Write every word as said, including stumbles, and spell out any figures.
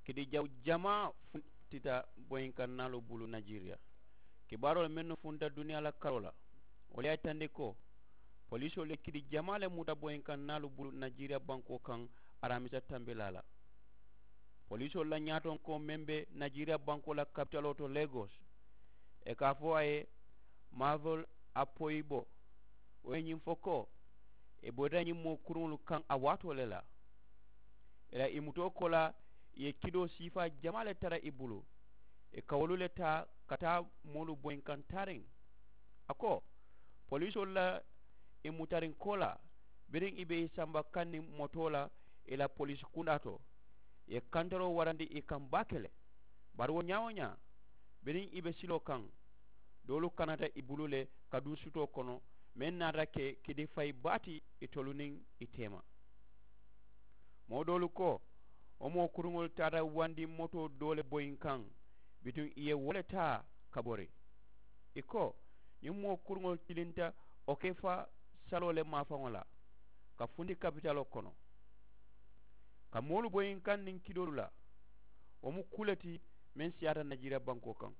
Kidi jaw jamaa funtita boyinkan naalu bulu najeriya. Kibaaroo le mennu funta duniyaa la karoo la, wolu ye a yitandi ko poliisoo le kidi jamaa le muta boyinkan naalu bulu najeriya bankoo kaŋ. Araamisa tambilaa la poliisoo la ñaatonkoo meŋ be najeriya bankoo la kapitaloo to legos, ì ka a fo a ye mavel apoyibo, wo ye ñiŋ fo ko ì boyita ñiŋ moo kuruŋolu kaŋ a waatoo le la. Ì la ì mutoo kola ì ye kidoo siifaa jamaa le tara ì bulu, ì ka wolu le taa ka taa moolu boyinkaŋ taariŋ. A ko poliisoolu la ì mutariŋ kola biriŋ ì be ì samba kaŋ niŋ motoo la ì la poliisi kundaa to, ì ye kantaroo warandi ì kaŋ baake le. Bari wo ñaa-wo-ñaa biriŋ ì be siloo kaŋ, doolu kanata ì bulu le ka duŋ sutoo kono, meŋ naata ke kidifayi baa ti itolu niŋ ì teema. Moo doolu ko wo moo kuruŋolu taata wandi motoo doo le boyinkaŋ bituŋ ì ye wo le taa ka bori. Ì ko ñiŋ moo kuruŋolu tilinta okefa saloo le maafaŋo la ka funti kapitaloo kono, ka moolu boyinkaŋ niŋ kidoolu la. Wo mu kuu le ti meŋ siyaata najeriya bankoo kaŋ.